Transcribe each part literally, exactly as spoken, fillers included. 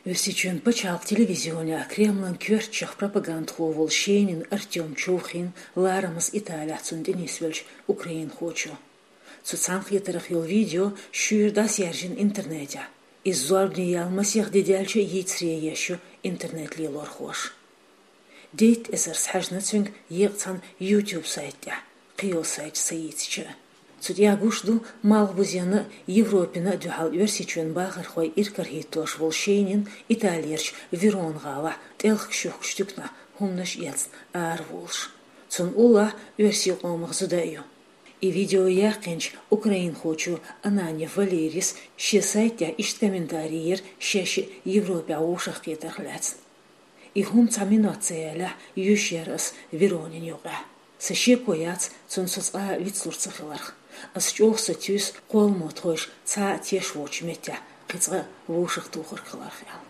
Оьрсийчоьнан пачхьалкхан телевизионехь Кремлан коьртачех пропагандахо волу Шенин Артём човхийна ларамаза Италехь цунна тӀе нисвеллачу украинхочо. Цу цхьаьнакхетарх йолу видео шуьйра дӀасаяьржина интернетехь. Иза зорбане яьлла масех де даьлча а йийцаре еш ю интернет-лелорхоша. Дейтта эзарца хьаьжна цуьнга еккъа цхьана YouTube сайта тӀехь, кхин йолу сайташ ца йийцича а. Цу тӀехь гуш ду Малхбузенна а, Европина а дуьхьал Оьрсийчоьнан бахархой иракарахӀиттош волу Шенин Италерчу Верона гӀалахь тӀелхиг-шухкаш туьканахь хӀуманаш эцна араволуш. Цунна уллохь оьрсийн къомах зуда а ю. И видео яьккхинчу украинхочо Ананьев Валерис шен сайта тӀехь иштта комментарий йира шаьш а Европехь вовшахкхетарх лаьцна. И хӀума цхьа минот ца ялахь, йоьшуш яра ас Веронина юкъехь. Сан шеко яц цунна со цкъа а вицлур ца хиларх. Ас чӀогӀа сатуьйсу кхолламо тхойша цхьа а теш воцучу меттехь кхин цкъа а вовшахтухург хиларх аьлла.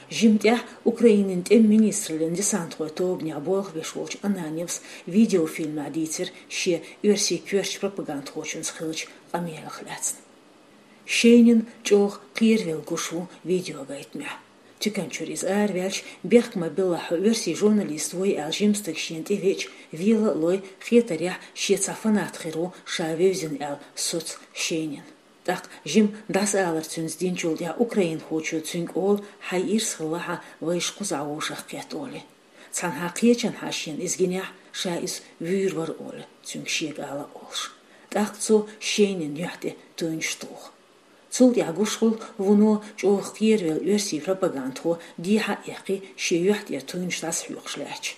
Жимма тӀаьхьа Украинин тӀеман министраллин десантхойн тобанехь болх беш волчу Ананьевс видеофильмехь дийцира шен оьрсийн коьртачу пропагандхочуьнца хиллачу къамелех лаьцна. Шенин чӀогӀа кхеравелла гуш ву видеогайтамехь. Туькан чуьра иза араваьлча, бехк ма-биллахь, хьо оьрсийн журналист вуй аьлла жима стаг шена тӀевеача, вела а лой, хетарехь, шен цхьа фанат хир ву ша вевзина аьлла соцу Шенин. ТӀаккха жимма дӀасаалар цуьнца динчул тӀаьхьа украинхочо цуьнга олу: «Хьайн ирс хилла хьан вайша кхузахь вовшахкхетта», олий. Цхьанхьа кхечанхьа шена иза гинехь, ша иза вуьйр вара олий, цуьнга шега ала а олуш. ТӀаккха цо Шенин юьхь тӀе туьйнаш туху. Цул тӀаьхьа гуш хуьлу вуно чӀогӀа кхеравелла оьрсийн пропагандхо дехьа а эккхий, шен юьхь тӀера туьйнаш дӀасахьоькхуш лаьттачу.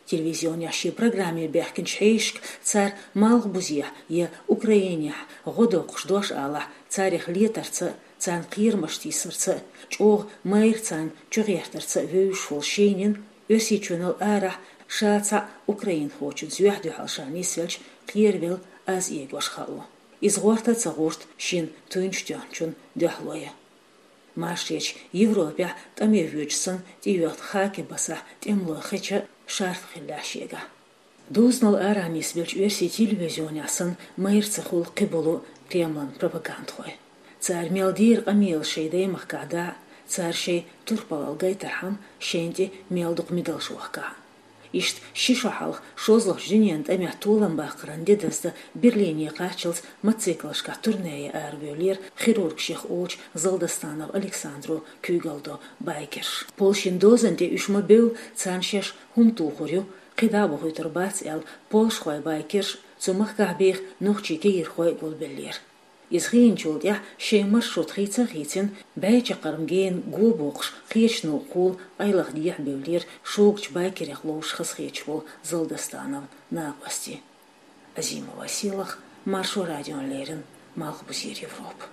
Телевизионехь шен программе баьхкинчу хьешашка цара Малхбузехь я Украинехь гӀо доккхуш дош алахь, царах летарца а, царна кхерамаш тийсарца а, чӀогӀа майра царна чугӀертарца а вевзаш волу Шенин Оьрсийчоьнал арахь ша цхьаъ украинхочуьнца юьхь-дуьхьал ша нисвелча кхеравелла аз эгош хаало. Иза гӀорта а ца гӀорта шена туьйнаш тоьхначун дуьхьало ян. Машаречу Европехь тӀаме воьдуш санна тӀейоьхна хакебасахь тӀемалой хеча а шарф хиллехь шегахь. Дозанал арахь нисбеллачу оьрсийн телевизионехь санна майра ца хуьлу кхиболу Кремлан пропагандхой. Цара мел дийр къамелаш шайн даймахкахь дӀа а, цара шайн турпалалла гайтархьама шайна тӀе мел дукха мидалш вахкахь а. Иштта ши шо хьалха шозлагӀчу дуьненан тӀамехь толам баккхаран де даздан Берлине кхаччалц мотоциклашкахь турне ян аравевллера хирург шех олучу Залдастанов Александро куьйгалла до байкерш. Польшин дозан тӀе уьш ма бевлла, царна шаьш хӀума тухур ю, кхидӀа а бохуьйтур бац аьлла, польшхой байкерш, цу махкахь беха нохчийн кегийрхой а гулбеллера. Иза хиъначул тӀаьхьа шайн маршрут хийца а хийцина, бӀе чаккхарма гена го боккхуш кхечу новкъахула къайлаха дехьабевллера шогачу байкерех ловзуш хазахеташ волу Залдастанов накъостий. Азимова Селах, Маршо радиона леррина, Малхбузера Европа.